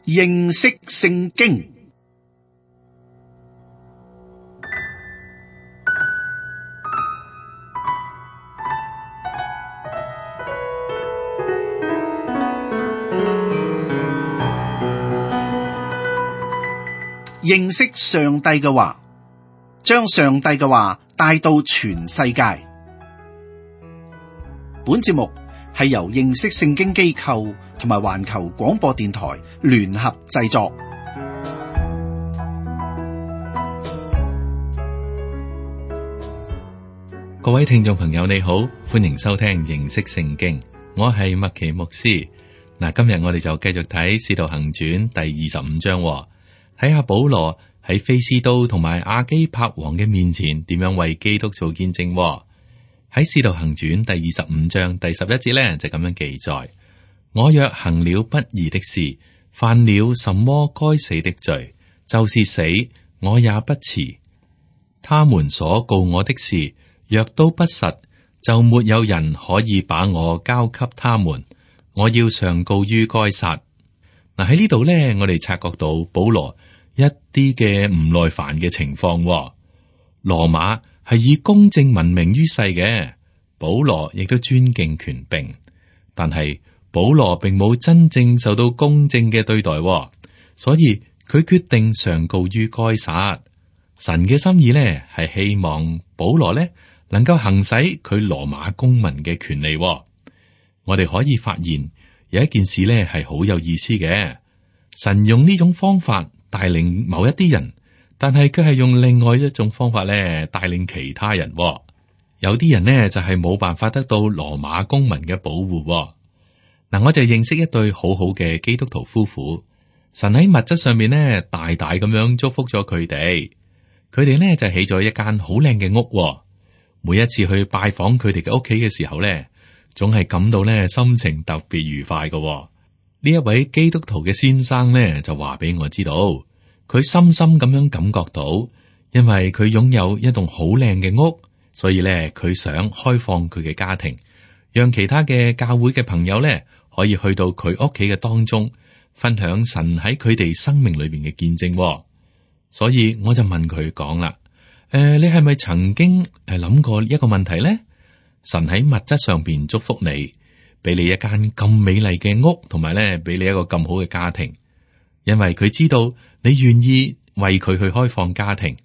認識聖經。認識上帝嘅話，將上帝嘅話帶到全世界。本節目係由認識聖經機構同埋環球廣播電台聯合製作。各位聽眾朋友你好，歡迎收聽認識聖經，我係麥奇牧師。今日我哋就繼續睇《使徒行傳》第25章。睇下保羅喺非斯都同埋亞基帕王嘅面前點樣為基督做見證。喺使徒行傳第25章第11節呢，就咁樣記載：我若行了不義的事，犯了什麼該死的罪，就是死，我也不辭。他們所告我的事，若都不實，就沒有人可以把我交給他們。我要上告於該撒。喺呢度呢，我哋察覺到保羅一啲嘅唔耐煩嘅情況。羅馬係以公正聞名於世嘅，保羅亦都尊敬權柄，但係保羅並冇真正受到公正嘅對待，所以佢決定上告於該撒。神嘅心意呢，係希望保羅呢能夠行使佢羅馬公民嘅權利。我哋可以發現有一件事呢係好有意思嘅，神用呢種方法帶領某一啲人，但係佢係用另外一種方法咧帶領其他人。有啲人呢就係冇辦法得到羅馬公民嘅保護。我就認識一對好好嘅基督徒夫婦，神喺物質上面呢大大咁樣祝福咗佢哋。佢哋呢就起咗一間好靚嘅屋。每一次去拜訪佢哋嘅屋企嘅時候呢，總係感到呢心情特別愉快嘅。呢一位基督徒嘅先生呢，就話俾我知道，佢深深咁樣感覺到，因為佢擁有一棟好靚嘅屋，所以呢，佢想開放佢嘅家庭，讓其他嘅教會嘅朋友呢，可以去到佢屋企嘅當中，分享神喺佢哋生命裏邊嘅見證。所以我就問佢講啦，你係咪曾經諗過一個問題呢？神喺物質上邊祝福你，俾你一間咁美麗嘅屋，同埋咧俾你一個咁好嘅家庭，因為佢知道你願意為佢去開放家庭，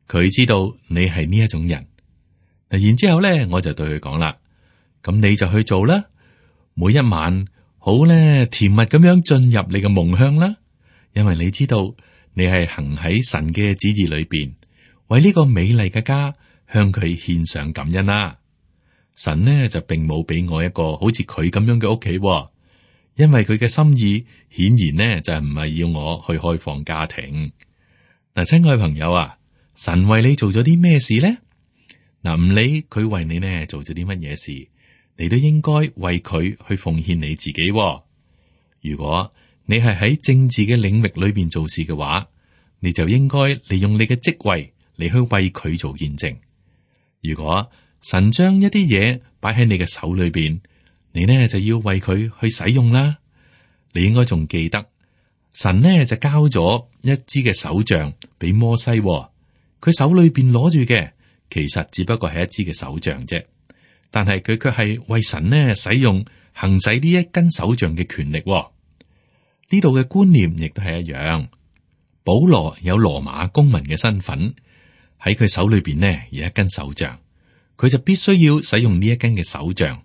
佢知道你係呢一種人。然之後咧，我就對佢講啦，咁你就去做啦，每一晚好咧甜蜜咁樣進入你嘅夢鄉啦，因為你知道你係行喺神嘅旨意裏邊，為呢個美麗嘅家向佢獻上感恩啦。神呢就並冇俾我一個好似佢咁樣嘅屋企，因為佢嘅心意顯然呢就唔係要我去開放家庭。親愛朋友啊，神為你做咗啲咩事呢？唔理佢為你呢做咗啲乜嘢事，你都應該為佢去奉獻你自己。如果你係喺政治嘅領域裏邊做事嘅話，你就應該利用你嘅職位嚟去為佢做見證。如果神將一啲嘢擺喺你嘅手裏邊，你呢就要為佢去使用啦。你應該仲記得，神呢就交咗一支嘅手杖俾摩西，佢手裏邊攞住嘅其實只不過係一支嘅手杖啫，但係佢卻係為神呢使用行使呢一根手杖嘅權力。呢度嘅觀念亦都係一樣。保羅有羅馬公民嘅身份，喺佢手裏邊呢有一根手杖。佢就必須要使用呢一根嘅手杖，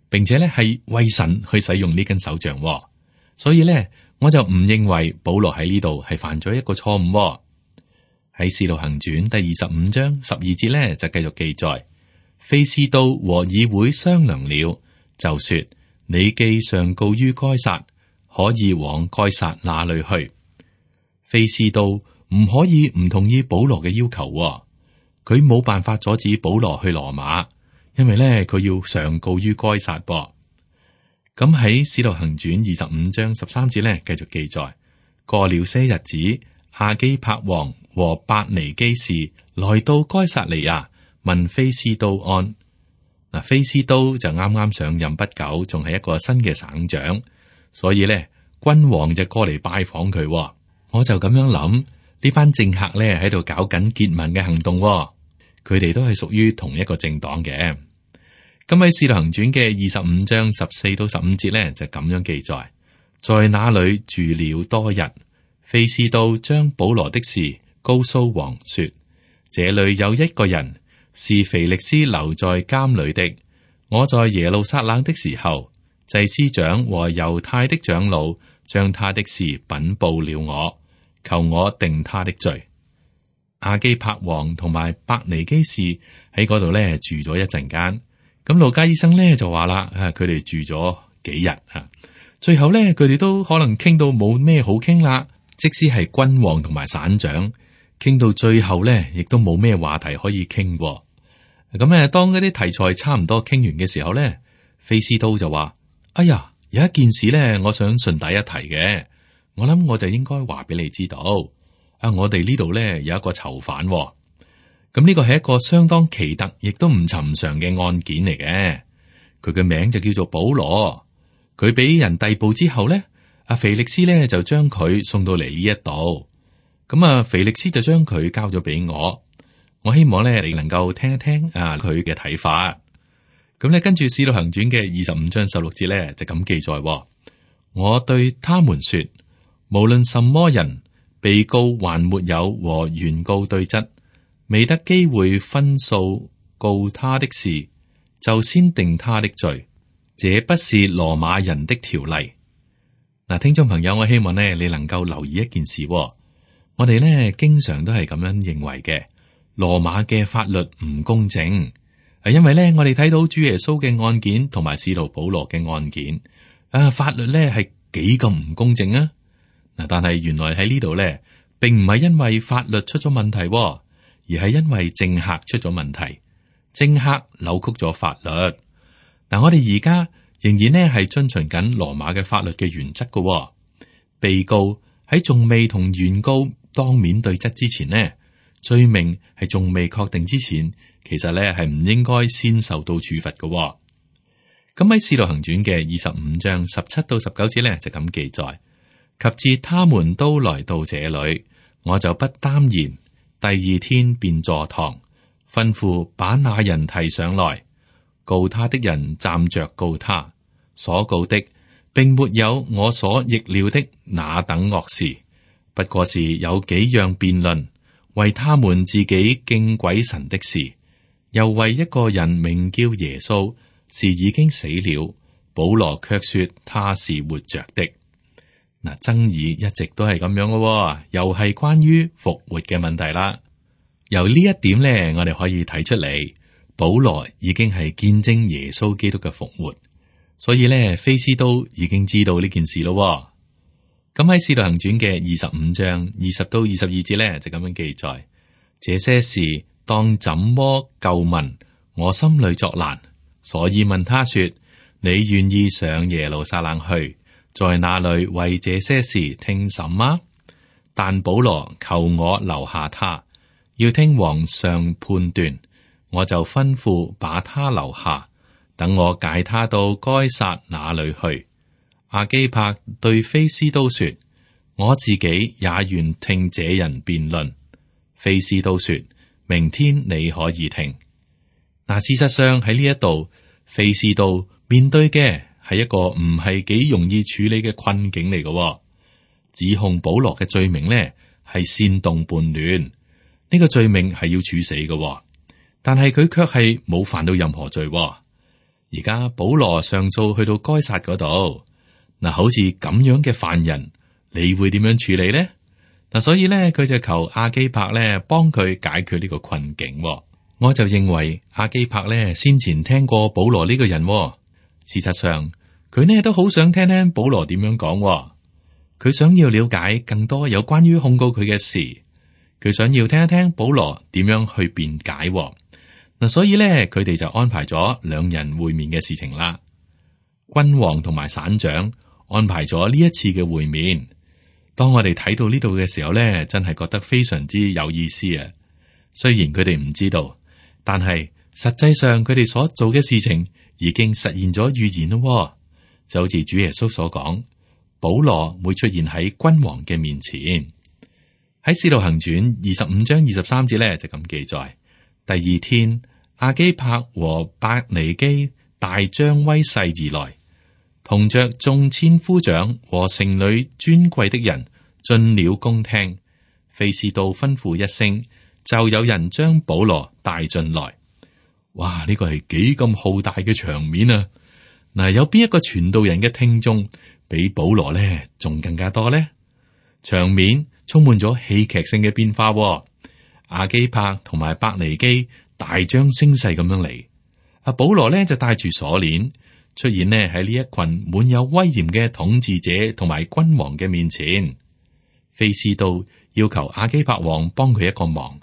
並且咧係為神去使用呢根手杖。所以咧，我就唔認為保羅喺呢度係犯咗一個錯誤。喺使徒行傳第25章12節咧就繼續記載，非斯都和議會商量了，就說：你既上告於該撒，可以往該撒那裏去。非斯都唔可以唔同意保羅嘅要求。佢冇辦法阻止保羅去羅馬，因為咧佢要上告於該撒噃。咁喺使徒行傳25章13節咧繼續記載，過了些日子，亞基帕王和伯尼基士來到該撒利亞，問非斯都安。非斯都就啱啱上任不久，仲係一個新嘅省長，所以咧君王就過嚟拜訪佢。我就咁樣諗，呢班政客咧喺度搞緊結盟嘅行動，佢哋都係屬於同一個政黨嘅。咁喺《使徒行傳》嘅25章14到15節咧就咁樣記載，在那裏住了多日，非斯都將保羅的事告訴王說：這裏有一個人是腓力斯留在監裏的。我在耶路撒冷的時候，祭司長和猶太的長老將他的事稟報了我，求我定他的罪。亞基帕王同埋伯尼基士喺嗰度咧住咗一陣間。咁路加醫生咧就話啦，佢哋住咗幾日啊，最後咧佢哋都可能傾到冇咩好傾啦。即使係君王同埋省長，傾到最後咧，亦都冇咩話題可以傾。咁當嗰啲題材差唔多傾完嘅時候咧，菲斯都就話：哎呀，有一件事咧，我想順帶一提嘅，我諗我就應該話俾你知道。我哋呢度咧有一個囚犯。咁呢個係一個相當奇特，亦都唔尋常嘅案件嚟嘅。佢嘅名就叫做保羅。佢俾人逮捕之後咧，阿腓力斯咧就將佢送到嚟呢一度。咁腓力斯就將佢交咗俾我。我希望咧你能夠聽一聽佢嘅睇法。咁咧跟住《使徒行傳》嘅25章16節咧就咁記載。我對他們說，無論什麼人，被告還沒有和原告對質，未得機會分訴告他的事，就先定他的罪，這不是羅馬人的條例。嗱，聽眾朋友，我希望呢你能夠留意一件事。我哋呢經常都係咁樣認為嘅，羅馬嘅法律唔公正，係因為呢我哋睇到主耶穌嘅案件同埋使徒保羅嘅案件，法律呢係幾咁唔公正啊！嗱，但係原來喺呢度呢，並唔係因為法律出咗問題。而係因為政客出咗問題，政客扭曲咗法律。嗱，我哋而家仍然呢係遵循緊羅馬嘅法律嘅原則㗎。被告喺仲未同原告當面對質之前呢，罪名係仲未確定之前，其實呢係唔應該先受到處罰㗎。咁喺《使徒行傳》嘅25章17到19節呢，就咁記載：及至他們都來到這裏，我就不耽延。第二天便坐堂，吩咐把那人提上來。告他的人站着告他，所告的並沒有我所逆料的那等惡事，不過是有幾樣辯論，為他們自己敬鬼神的事，又為一個人名叫耶穌，是已經死了，保羅卻說他是活着的。嗱，爭議一直都係咁樣嘅，又係關於復活嘅問題啦。由呢一點咧，我哋可以睇出嚟，保羅已經係見證耶穌基督嘅復活，所以咧，菲斯都已經知道呢件事咯。咁喺《使徒行傳》嘅25章20到22節咧，就咁樣記載：這些事當怎麼究問，我心裏作難，所以問他說：你願意上耶路撒冷去，在那裏為這些事聽審嗎？但保羅求我留下他，要聽王上判斷，我就吩咐把他留下，等我解他到該撒那裏去。亞基帕對菲斯都說：我自己也願聽這人辯論。菲斯都說：明天你可以聽。嗱，事實上喺呢一度，菲斯都面對嘅係一個唔係幾容易處理嘅困境嚟嘅。指控保羅嘅罪名呢係煽動叛亂，呢個罪名係要處死嘅，但係佢卻係冇犯到任何罪。而家保羅上訴去到該撒嗰度，嗱，好似咁樣嘅犯人，你會點樣處理呢？嗱，所以咧，佢就求亞基帕咧幫佢解決呢個困境。我就認為亞基帕咧先前聽過保羅呢個人，事實上佢呢都好想聽聽保羅點樣講。佢想要了解更多有關於控告佢嘅事，佢想要聽一聽保羅點樣去辯解。嗱，所以咧，佢哋就安排咗兩人會面嘅事情啦。君王同埋省長安排咗呢一次嘅會面。當我哋睇到呢度嘅時候咧，真係覺得非常之有意思啊！雖然佢哋唔知道，但係實際上佢哋所做嘅事情已經實現咗預言咯。就好似主耶穌所講，保羅會出現喺君王嘅面前。喺《使徒行傳》25章23節咧就咁記載：第二天，亞基帕和百尼基大張威勢而來，同着眾千夫長和城裏尊貴的人進了宮廳。非斯都吩咐一聲，就有人將保羅帶進來。哇！呢個係幾咁浩大嘅場面啊！嗱，有邊一個傳道人嘅聽眾比保羅呢仲更加多呢？場面充滿咗戲劇性嘅變化。亞基帕同埋百尼基大張聲勢咁樣嚟，阿保羅呢就帶住鎖鏈出現呢喺呢一群滿有威嚴嘅統治者同埋君王嘅面前。非斯都要求亞基帕王幫佢一個忙，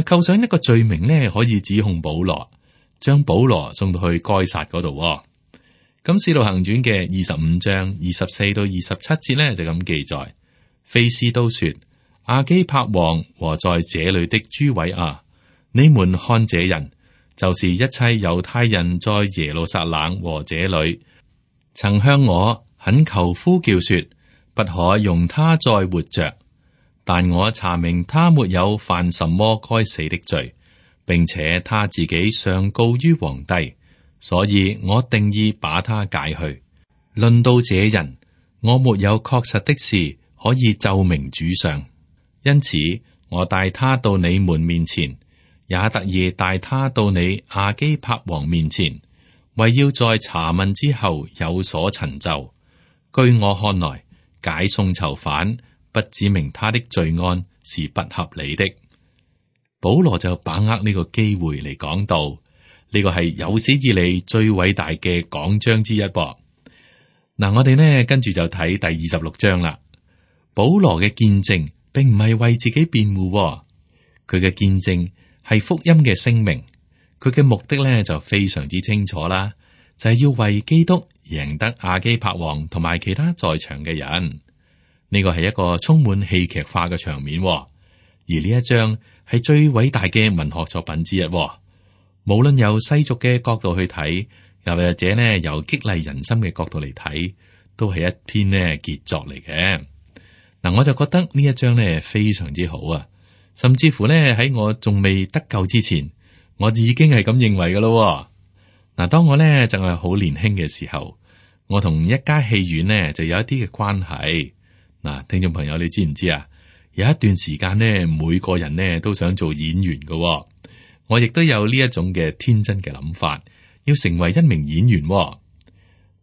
扣上一個罪名呢可以指控保羅，將保羅送到去該撒嗰度。咁《使徒行傳》嘅25章24到27節呢就咁記載：非斯都說，亞基帕王和在這裏的諸位啊，你們看這人，就是一切猶太人在耶路撒冷和這裏曾向我懇求呼叫說，不可容他再活着。但我查明他沒有犯什麼該死的罪，並且他自己上告於皇帝，所以我定意把他解去。論到這人，我沒有確實的事可以奏明主上，因此我帶他到你們面前，也特意帶他到你亞基帕王面前，為要在查問之後有所陳奏。據我看來，解送囚犯，不指明他的罪案是不合理的。保羅就把握呢個機會嚟講道，呢個係有史以嚟最偉大嘅講章之一噃。嗱，我哋呢跟住就睇第26章啦。保羅嘅見證並唔係為自己辯護，佢嘅見證係福音嘅聲明。佢嘅目的呢就非常之清楚啦，就係要為基督贏得亞基帕王同埋其他在場嘅人。呢個係一個充滿戲劇化嘅場面，而呢一章係最偉大嘅文學作品之一。無論由世俗嘅角度去睇，又或者呢由激勵人心嘅角度嚟睇，都係一篇呢傑作嚟嘅。嗱，我就覺得呢一章呢非常之好啊，甚至乎呢喺我仲未得救之前，我已經係咁認為噶咯。嗱，當我呢就係好年輕嘅時候，我同一家戲院呢就有一啲嘅關係。嗱，聽眾朋友，你知唔知啊？有一段時間呢，每個人呢都想做演員噶。我亦都有呢一種嘅天真嘅諗法，要成為一名演員。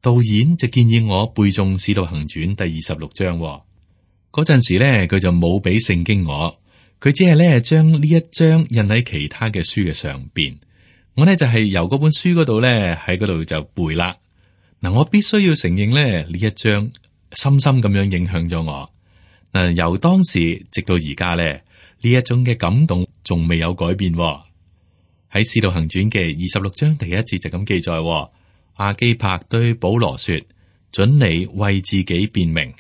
導演就建議我背誦《使徒行傳》第26章。嗰陣時呢，佢就冇俾聖經我，佢只係呢將呢一章印喺其他嘅書嘅上邊。我呢就係由嗰本書嗰度呢喺嗰度就背啦。嗱，我必須要承認呢一章深深咁樣影響咗我。嗱，由當時直到而家咧，呢一種嘅感動仲未有改變。喺《使徒行傳》嘅26章第一節就咁記載：亞基帕對保羅說，准你為自己辯明。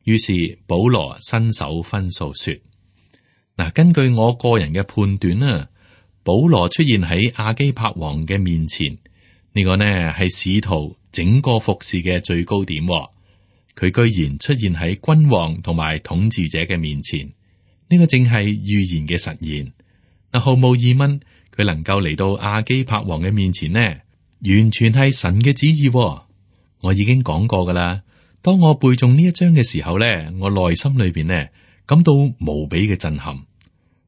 於是保羅伸手分訴說：嗱，根據我個人嘅判斷啊，保羅出現喺亞基帕王嘅面前，呢個呢係使徒整個服侍嘅最高點。佢居然出現喺君王同埋統治者嘅面前，呢個正係預言嘅實現。嗱，毫無疑問，佢能夠嚟到亞基帕王嘅面前呢，完全係神嘅旨意。我已經講過噶啦，當我背誦呢一章嘅時候呢，我內心裏邊呢感到無比嘅震撼。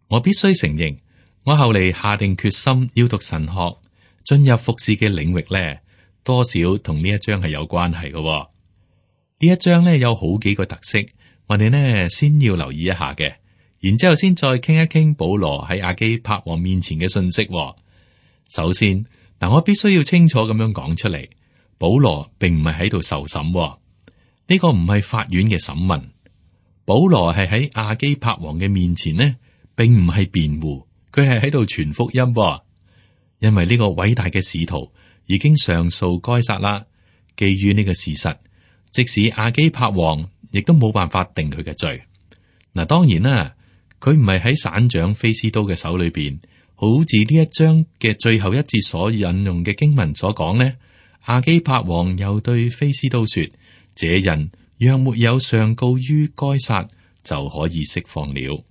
我必須承認，我後嚟下定決心要讀神學，進入服侍嘅領域呢，多少同呢一章係有關係嘅。呢一章咧有好幾個特色，我哋呢先要留意一下嘅，然之後先再傾一傾保羅喺亞基帕王面前嘅信息。首先，我必須要清楚咁樣講出嚟，保羅並唔係喺度受審，呢個唔係法院嘅審問。保羅係喺亞基帕王嘅面前呢，並唔係辯護，佢係喺度傳福音。因為呢個偉大嘅使徒已經上訴該撒啦，基於呢個事實，即使亞基帕王亦都冇辦法定佢嘅罪。嗱，當然啦，佢唔係喺省長非斯都嘅手裏邊，好似呢一章嘅最後一節所引用嘅經文所講呢，亞基帕王又對非斯都說：這人若沒有上告於該撒，就可以釋放了。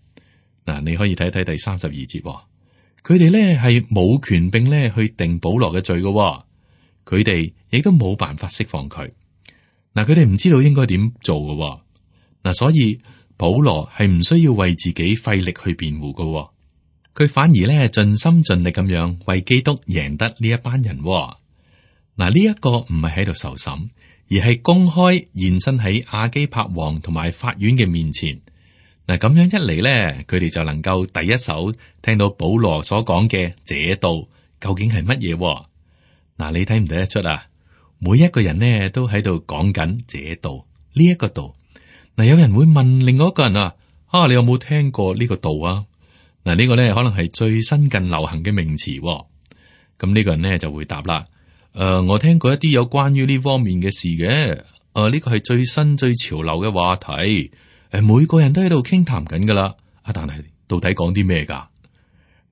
嗱，你可以睇睇第32節，佢哋咧係冇權柄咧去定保羅嘅罪嘅，佢哋亦都冇辦法釋放佢。嗱，佢哋唔知道應該點做嘅。嗱，所以保羅係唔需要為自己費力去辯護嘅，佢反而咧盡心盡力咁樣為基督贏得呢一班人。嗱，呢一個唔係喺度受審，而係公開現身喺亞基帕王同埋法院嘅面前。嗱，咁樣一嚟咧，佢哋就能夠第一手聽到保羅所講嘅這道究竟係乜嘢。嗱，你睇唔睇得出啊？每一個人呢都喺度講緊這道呢一個道。嗱，有人會問另外一個人啊，你有冇聽過呢個道啊？嗱，呢個咧可能係最新近流行嘅名詞。咁呢個人咧就會答啦。我聽過一啲有關於呢方面嘅事嘅。呢個係最新最潮流嘅話題。每個人都喺度傾談緊噶啦。但係到底講啲咩噶？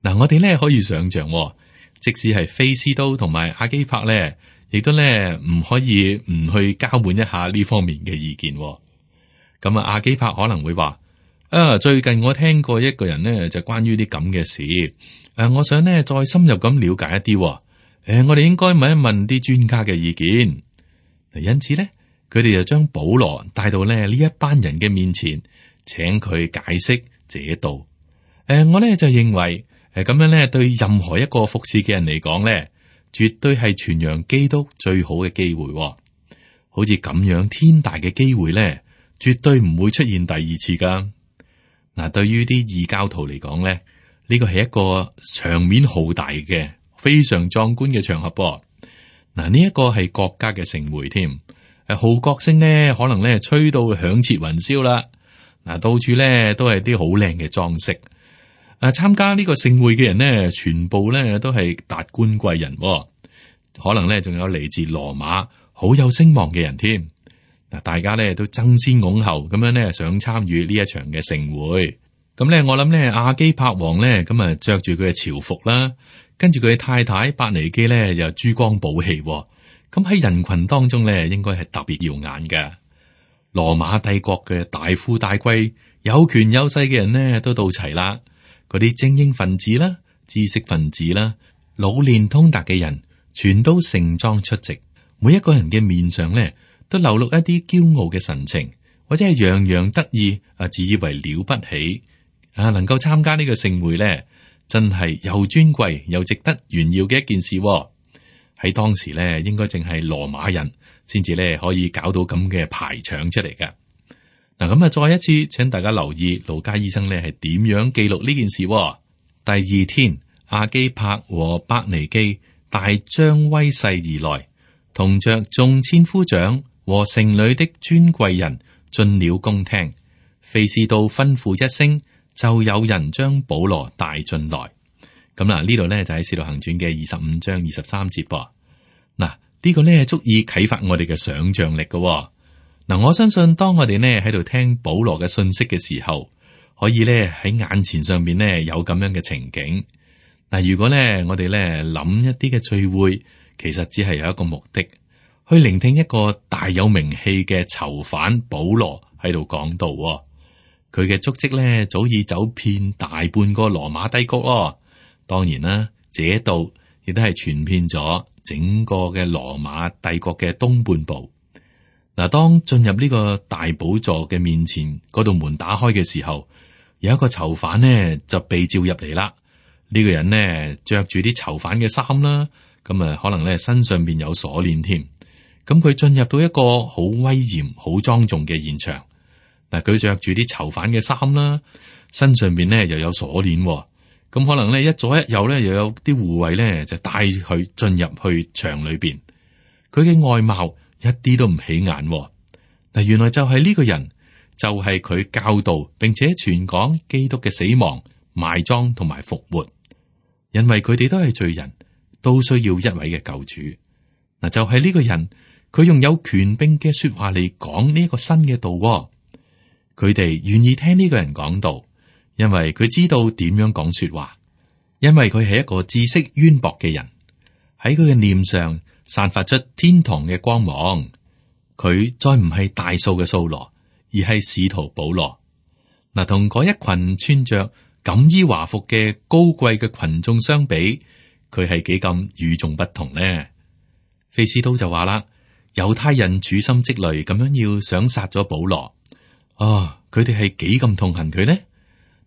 嗱，我哋咧可以想象，即使係菲斯都同埋亞基帕咧，亦都咧唔可以唔去交換一下呢方面嘅意見。咁亞基帕可能會話：最近我聽過一個人呢，就關於啲咁嘅事。我想呢再深入咁了解一啲。我哋應該問一問啲專家嘅意見。因此咧，佢哋就將保羅帶到呢一班人嘅面前，請佢解釋這道。我咧就認為，咁樣咧對任何一個服侍嘅人嚟講咧，絕對係傳揚基督最好嘅機會。好似咁樣天大嘅機會咧，絕對唔會出現第二次噶。嗱，對於啲異教徒嚟講咧，呢個係一個場面浩大嘅、非常壯觀嘅場合。嗱，呢一個係國家嘅盛會添，號角聲呢可能咧吹到響徹雲霄啦。嗱，到處咧都係啲好靚嘅裝飾。參加呢個盛會嘅人呢，全部咧都係達官貴人，可能咧仲有嚟自羅馬好有聲望嘅人添。嗱，大家咧都爭先恐後咁樣咧想參與呢一場嘅盛會。咁咧，我諗咧亞基帕王咧咁啊着住佢嘅朝服啦，跟住佢嘅太太伯尼基咧又珠光寶氣。咁喺人群當中咧，應該係特別耀眼嘅。羅馬帝國嘅大富大貴、有權有勢嘅人呢都到齊啦。嗰啲精英分子啦、知識分子啦、老練通達嘅人，全都盛裝出席。每一個人嘅面上咧，都流露一啲驕傲嘅神情，或者係洋洋得意自以為了不起能夠參加呢個盛會咧，真係又尊貴又值得炫耀嘅一件事。喺當時咧，應該淨係羅馬人先至咧可以搞到咁嘅排場出嚟嘅。嗱，咁再一次請大家留意路加醫生咧係點樣記錄呢件事。第二天，亞基帕和伯尼基大張威勢而來，同着眾千夫長和城裏的尊貴人進了宮廳。菲斯都吩咐一聲，就有人將保羅帶進來。咁嗱，呢度咧就喺《使徒行傳》嘅25章23節噃。嗱，呢個咧足以啟發我哋嘅想象力嘅。嗱，我相信當我哋呢喺度聽保羅嘅信息嘅時候，可以咧喺眼前上面呢有咁樣嘅情景。嗱，如果咧我哋咧諗一啲嘅聚會，其實只係有一個目的，去聆聽一個大有名氣嘅囚犯保羅喺度講道。佢嘅足跡咧早已走遍大半個羅馬帝國。當然啦，這度亦都係傳遍咗整個嘅羅馬帝國嘅東半部。嗱，當進入呢個大寶座嘅面前，嗰道門打開嘅時候，有一個囚犯呢就被召入嚟啦。呢個人呢着住啲囚犯嘅衫啦，咁啊可能咧身上邊有鎖鏈添。咁佢進入到一個好威嚴、好莊重嘅現場。嗱，佢着住啲囚犯嘅衫啦，身上邊呢又有鎖鏈。咁可能咧一左一右咧又有啲護衛咧就帶佢進入去場裏邊。佢嘅外貌一啲都唔起眼。嗱，原來就係呢個人，就係佢教導並且傳講基督嘅死亡、埋葬同埋復活。因為佢哋都係罪人，都需要一位嘅救主。嗱，就係呢個人，佢用有權柄嘅說話嚟講呢一個新嘅道。佢哋願意聽呢個人講道，因為佢知道點樣講說話，因為佢係一個知識淵博嘅人，喺佢嘅臉上散發出天堂嘅光芒。佢再唔係大數嘅掃羅，而係使徒保羅。嗱，同嗰一群穿着錦衣華服嘅高貴嘅群眾相比，佢係幾咁與眾不同呢？菲斯都就話啦，猶太人處心積慮咁樣要想殺咗保羅，佢哋係幾咁痛恨佢呢？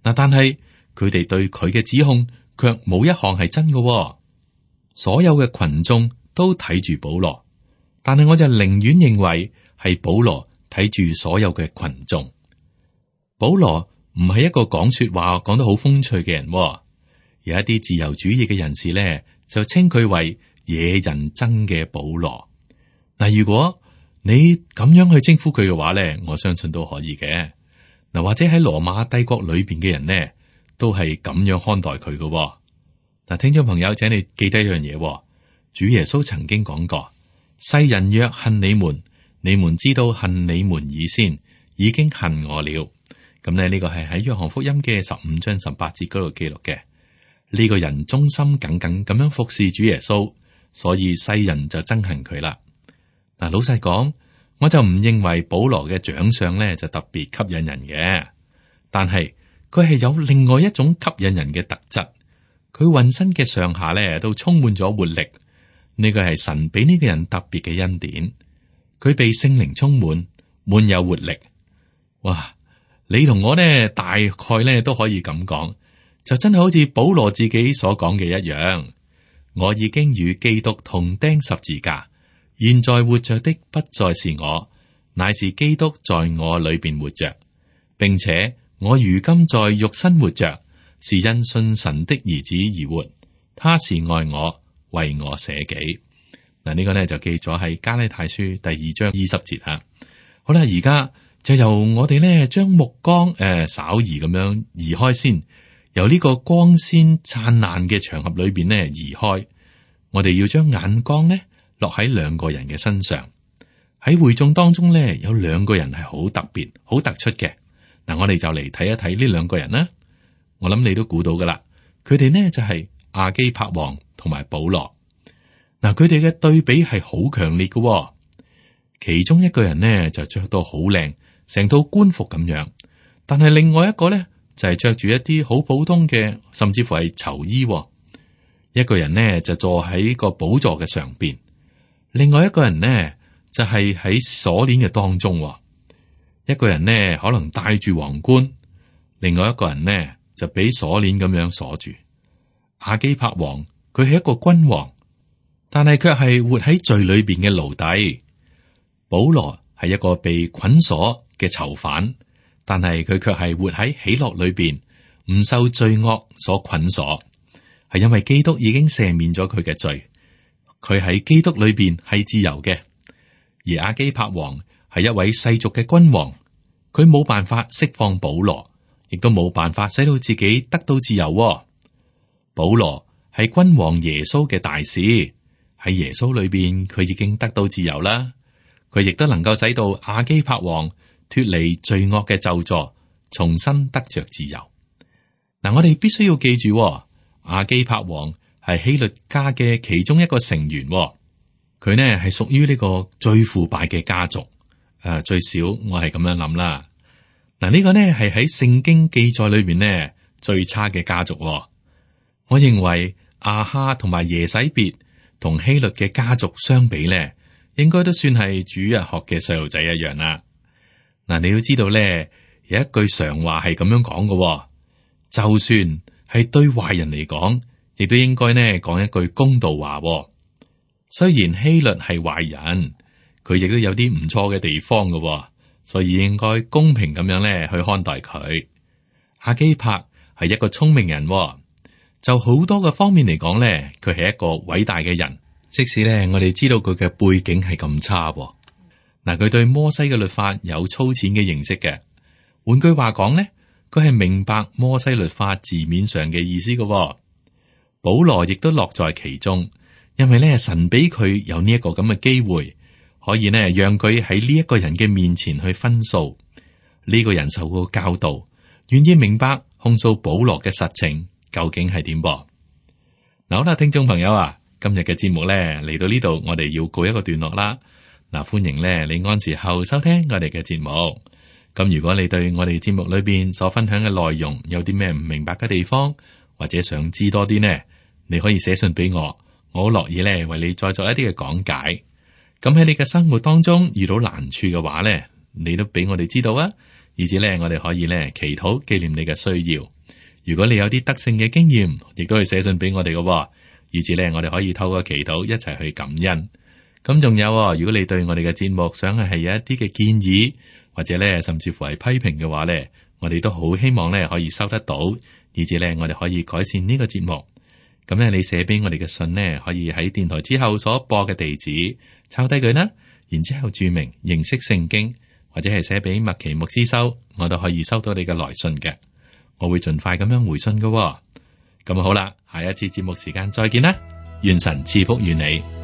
嗱，但係佢哋對佢嘅指控卻冇一項係真嘅。所有嘅群眾都睇住保羅，但係我就寧願認為係保羅睇住所有嘅群眾。保羅唔係一個講說話講得好風趣嘅人，有一啲自由主義嘅人士咧就稱佢為惹人憎嘅保羅。嗱，如果你咁樣去稱呼佢嘅話咧，我相信都可以嘅。嗱，或者喺羅馬帝國裏邊嘅人呢，都係咁樣看待佢嘅。嗱，聽眾朋友，請你記得一樣嘢，主耶穌曾經講過：世人若恨你們，你們知道恨你們以先，已經恨我了。咁咧，呢個係喺約翰福音嘅15章18節嗰度記錄嘅。呢個人忠心耿耿咁樣服侍主耶穌，所以世人就憎恨佢啦。嗱，老實講，我就唔認為保羅嘅長相咧就特別吸引人嘅，但係佢係有另外一種吸引人嘅特質。佢渾身嘅上下咧都充滿咗活力，呢個係神俾呢個人特別嘅恩典。佢被聖靈充滿，滿有活力。哇！你同我呢，大概呢都可以咁講，就真係好似保羅自己所講嘅一樣。我已經與基督同釘十字架，現在活着的不再是我，乃是基督在我裏邊活着，並且我如今在肉身活着，是因信神的兒子而活，他是愛我，為我捨己。嗱，呢個呢就記咗喺加拉太書第2章20節啊。好啦，而家就由我哋呢將目光稍移咁樣移開先，由呢個光鮮燦爛嘅場合裏邊呢移開。我哋要將眼光呢落喺兩個人嘅身上。喺會眾當中呢，有兩個人係好特別、好突出嘅。嗱，我哋就嚟睇一睇呢兩個人啦。我諗你都估到噶啦，佢哋呢就係亞基帕王同埋保羅。嗱，佢哋嘅對比係好強烈嘅。其中一個人呢就着到好靚，成套官服咁樣，但係另外一個呢就係着住一啲好普通嘅，甚至乎係囚衣。一個人呢就坐喺個寶座嘅上邊，另外一個人呢就係喺鎖鏈嘅當中。一個人呢可能戴住皇冠，另外一個人呢就俾鎖鏈咁樣鎖住。亞基帕王佢係一個君王，但係卻係活喺罪裏邊嘅奴隸。保羅係一個被捆鎖嘅囚犯，但係佢卻係活喺喜樂裏邊，唔受罪惡所捆鎖，係因為基督已經赦免咗佢嘅罪，佢喺基督裏邊係自由嘅。而亞基帕王係一位世俗嘅君王，佢冇辦法釋放保羅，亦都冇辦法使到自己得到自由。保羅係君王耶穌嘅大使，喺耶穌裏邊佢已經得到自由啦。佢亦都能夠使到亞基帕王脫離罪惡嘅咒詛，重新得着自由。嗱，我哋必須要記住，亞基帕王係希律家嘅其中一個成員。佢呢係屬於呢個最腐敗嘅家族。最少我係咁樣諗啦。嗱，呢個呢係喺聖經記載裏邊呢最差嘅家族。我認為亞哈同埋耶洗別同希律嘅家族相比呢，應該都算係主日學嘅細路仔一樣啦。嗱，你要知道咧，有一句常話係咁樣講嘅，就算係對壞人嚟講，亦都應該呢講一句公道話。雖然希律係壞人，佢亦都有啲唔錯嘅地方嘅，所以應該公平咁樣咧去看待佢。亞基帕係一個聰明人，就好多嘅方面嚟講咧，佢係一個偉大嘅人。即使咧，我哋知道佢嘅背景係咁差，嗱，佢對摩西嘅律法有粗淺嘅認識嘅。換句話講咧，佢係明白摩西律法字面上嘅意思嘅。保羅亦都樂在其中，因為咧神俾佢有呢一個咁嘅機會，可以呢讓佢喺呢一個人嘅面前去分訴。呢個人受過教導，願意明白控訴保羅嘅實情究竟係點噃。嗱，好啦，聽眾朋友啊。今日嘅節目咧嚟到呢度，我哋要告一個段落啦。嗱，歡迎咧你按時候收聽我哋嘅節目。咁如果你對我哋節目裏邊所分享嘅內容有啲咩唔明白嘅地方，或者想知多啲呢，你可以寫信俾我，我好樂意咧為你再做一啲嘅講解。咁喺你嘅生活當中遇到難處嘅話咧，你都俾我哋知道啊，以至咧我哋可以咧祈禱紀念你嘅需要。如果你有啲得勝嘅經驗，亦都可以寫信俾我哋嘅，以至咧我哋可以透過祈禱一齊去感恩。咁仲有，如果你對我哋嘅節目想係有一啲嘅建議，或者咧甚至乎係批評嘅話咧，我哋都好希望咧可以收得到，以至咧我哋可以改善呢個節目。咁咧你寫俾我哋嘅信呢，可以喺電台之後所播嘅地址抄低佢啦，然之後注明認識聖經，或者係寫俾麥奇牧師收，我都可以收到你嘅來信嘅，我會盡快咁樣回信嘅。咁好啦，下一次節目時間再見啦，願神賜福於你。